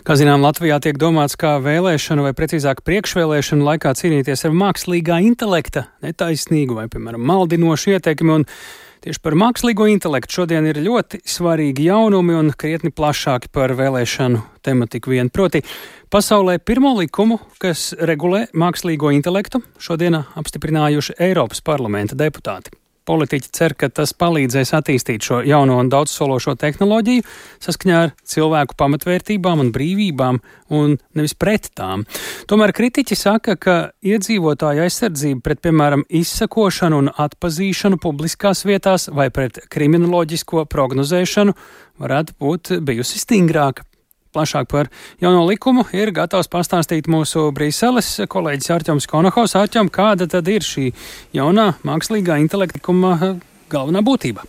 Kā zinām, Latvijā tiek domāts, kā vēlēšanu vai precīzāk priekšvēlēšanu laikā cīnīties ar mākslīgā intelekta netaisnīgu vai, piemēram, maldinošu ietekmi. Un tieši par mākslīgo intelektu šodien ir ļoti svarīgi jaunumi un krietni plašāki par vēlēšanu tematiku vien. Proti, pasaulē pirmo likumu, kas regulē mākslīgo intelektu, šodien apstiprinājuši Eiropas parlamenta deputāti. Politiķi cer, ka tas palīdzēs attīstīt šo jauno un daudzsološo tehnoloģiju saskaņā ar cilvēku pamatvērtībām un brīvībām un nevis pret tām. Tomēr kritiķi saka, ka iedzīvotāju aizsardzība pret, piemēram, izsakošanu un atpazīšanu publiskās vietās vai pret kriminoloģisko prognozēšanu varētu būt bijusi stingrāka. Plašāk par jauno likumu ir gatavs pastāstīt mūsu Brīseles kolēģis Arķoms Konohaus. Arķom, kāda tad ir šī jaunā mākslīgā intelekta likuma galvenā būtība?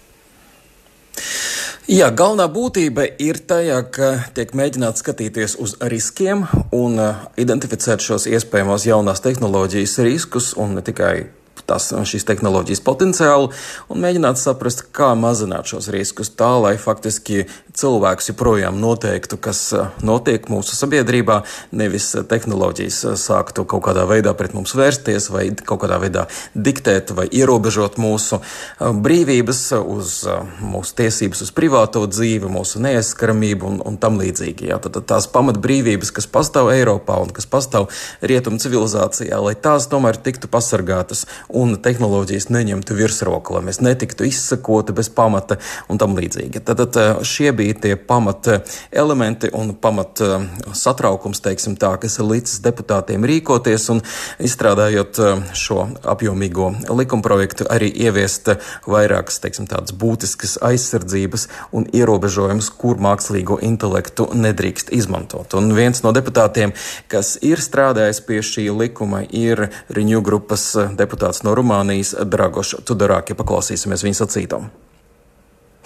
Jā, galvenā būtība ir tajā, ka tiek mēģināts skatīties uz riskiem un identificēt šos iespējamos jaunās tehnoloģijas riskus un ne tikai šīs tehnoloģijas potenciālu un mēģināt saprast, kā mazināt šos riskus tā, lai faktiski cilvēks joprojām noteiktu, kas notiek mūsu sabiedrībā, nevis tehnoloģijas sāktu kaut kādā veidā pret mums vērsties vai kaut kādā veidā diktēt vai ierobežot mūsu brīvības, uz mūsu tiesības uz privāto dzīvi, mūsu neaizskaramību un tam līdzīgi. Jā, tad tās pamatbrīvības, kas pastāv Eiropā un kas pastāv rietumu civilizācijā, lai tās tomēr tiktu pasargātas un tehnoloģijas neņemtu virsroku, lai mēs netiktu izsakoti bez pamata un tam līdzīgi. Tad šie bija tie pamata elementi un pamata satraukums, teiksim tā, kas ir līdz deputātiem rīkoties un izstrādājot šo apjomīgo likumprojektu arī ieviest vairākas, teiksim, tādas būtiskas aizsardzības un ierobežojumus, kur mākslīgo intelektu nedrīkst izmantot. Un viens no deputātiem, kas ir strādājis pie šī likuma, ir Renew grupas deputāts no Rumānijas, Dragoš Tudorāk, ja paklausīsimies viņa sacītam.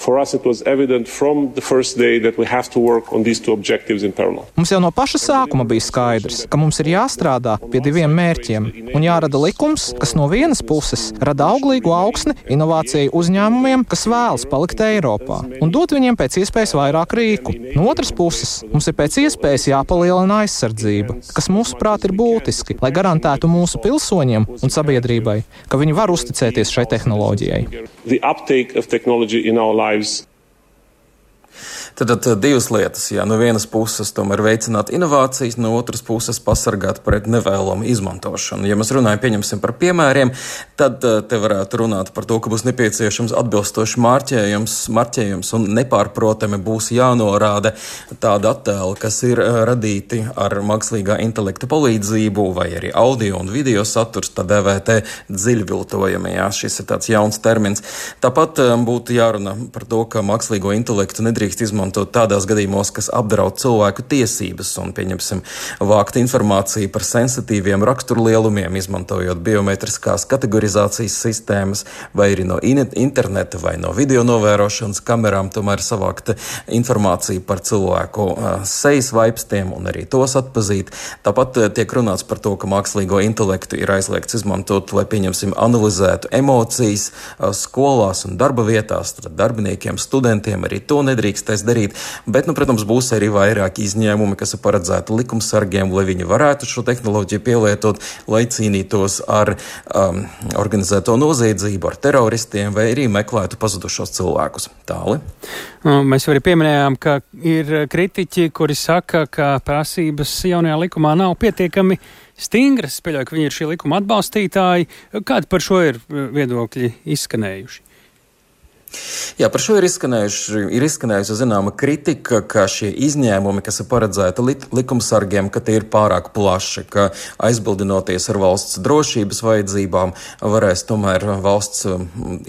For us it was evident from the first day that we have to work on these two objectives in parallel. Mums jau no paša sākuma bija skaidrs, ka mums ir jāstrādā pie diviem mērķiem un jārada likums, kas no vienas puses rada auglīgu augsni inovāciju uzņēmumiem, kas vēlas palikt Eiropā un dot viņiem pēc iespējas vairāk rīku. No otras puses, mums ir pēc iespējas jāpalielina aizsardzība, kas mūsuprāt ir būtiski, lai garantētu mūsu pilsoņiem un sabiedrībai, ka viņi var uzticēties šai tehnoloģijai. The uptake of technology in our lives. Tad divas lietas, jā, no vienas puses tomēr veicināt inovācijas, no otras puses pasargāt pret nevēlamu izmantošanu. Ja mēs runājam, pieņemsim par piemēriem, tad te varētu runāt par to, ka būs nepieciešams atbilstoši marķējums un nepārprotami būs jānorāda tāda attēla, kas ir radīti ar mākslīgā intelekta palīdzību vai arī audio un video saturs, tā dēvētē dziļviltojumi, jā, šis ir tāds jauns termins. Tāpat būtu jārunā par to, ka mākslīgo intelektu nedrīkst izmantot tādās gadījumos, kas apdraud cilvēku tiesības un, pieņemsim, vākt informāciju par sensitīviem raksturlielumiem, izmantojot biometriskās kategorizācijas sistēmas vai arī no interneta vai no video novērošanas kamerām, tomēr savākt informāciju par cilvēku sejas vaipstiem un arī tos atpazīt. Tāpat tiek runāts par to, ka mākslīgo intelektu ir aizliegts izmantot, lai, pieņemsim, analizētu emocijas skolās un darba vietās, tad darbiniekiem, studentiem arī to nedrīkstēs darīt, bet, protams, būs arī vairāki izņēmumi, kas ir paredzēti likumsargiem, lai viņi varētu šo tehnoloģiju pielietot, lai cīnītos ar organizēto noziedzību, ar teroristiem vai arī meklētu pazudušos cilvēkus. Tāli. Mēs arī pieminējām, ka ir kritiķi, kuri saka, ka prasības jaunajā likumā nav pietiekami stingras. Es pieļauju, ka viņi ir šī likuma atbalstītāji. Kādi par šo ir viedokļi izskanējuši? Jā, par šo ir izskanējusi zināma kritika, ka šie izņēmumi, kas ir paredzēti likumsargiem, ka tie ir pārāk plaši, ka aizbildinoties ar valsts drošības vajadzībām, varēs tomēr valsts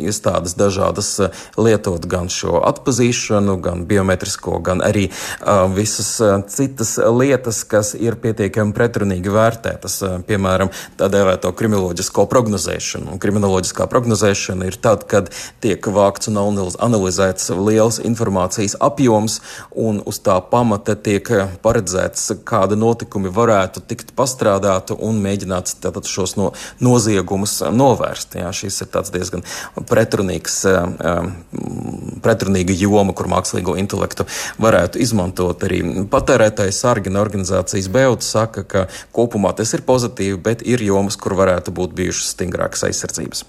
iestādes dažādas lietot gan šo atpazīšanu, gan biometrisko, gan arī visas citas lietas, kas ir pietiekami pretrunīgi vērtētas, piemēram, tā dēvēto kriminoloģisko prognozēšanu. Un kriminoloģiskā prognozēšana ir tad, kad tiek vākts un analizēts liels informācijas apjoms, un uz tā pamata tiek paredzēts, kāda notikumi varētu tikt pastrādāti un mēģināts tātad šos noziegumus novērst. Jā, šis ir tāds diezgan pretrunīga joma, kur mākslīgo intelektu varētu izmantot arī patērētāji sargi, un organizācijas BEUT saka, ka kopumā tas ir pozitīvi, bet ir jomas, kur varētu būt bijušas stingrākas aizsardzības.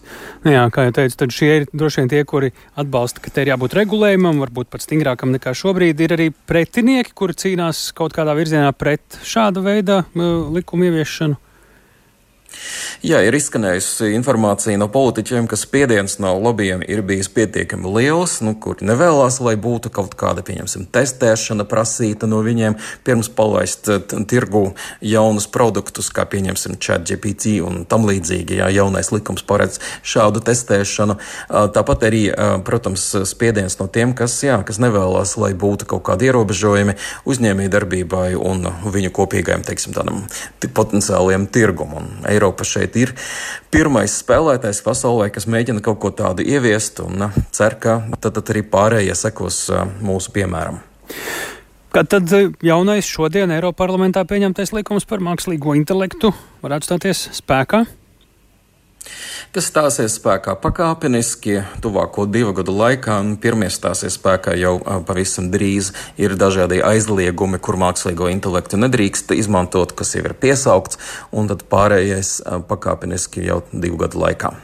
Jā, kā jau teicu, tad šie ir droši vien tie, kuri atbalsta, ka te ir jābūt regulējumam, varbūt pat stingrākam nekā šobrīd. Ir arī pretinieki, kuri cīnās kaut kādā virzienā pret šāda veida likumu ieviešanu. Jā, ir izskanējusi informācija no politiķiem, ka spiediens no lobbyiem ir bijis pietiekami liels, kuri nevēlās, lai būtu kaut kāda, pieņemsim, testēšana prasīta no viņiem, pirms palaist tirgu jaunus produktus, kā pieņemsim ChatGPT un tam līdzīgi. Jā, jaunais likums paredz šādu testēšanu. Tāpat arī, protams, spiediens no tiem, kas nevēlās, lai būtu kaut kādi ierobežojumi uzņēmējdarbībai un viņu kopīgajam, teiksim, tādam potenciāliem tirgumam. Eiropa šeit ir pirmais spēlētājs pasaulē, kas mēģina kaut ko tādu ieviest un cer, ka tad arī pārējie sekos mūsu piemēram. Kad tad jaunais šodien Eiroparlamentā pieņemtais likums par mākslīgo intelektu varētu stāties spēkā? Kas stāsies spēkā pakāpeniski tuvāko 2 gadu laikā, un pirmie stāsies spēkā jau pavisam drīz. Ir dažādi aizliegumi, kur mākslīgo intelektu nedrīkst izmantot, kas jau ir piesaukts, un tad pārējais pakāpeniski jau 2 gadu laikā.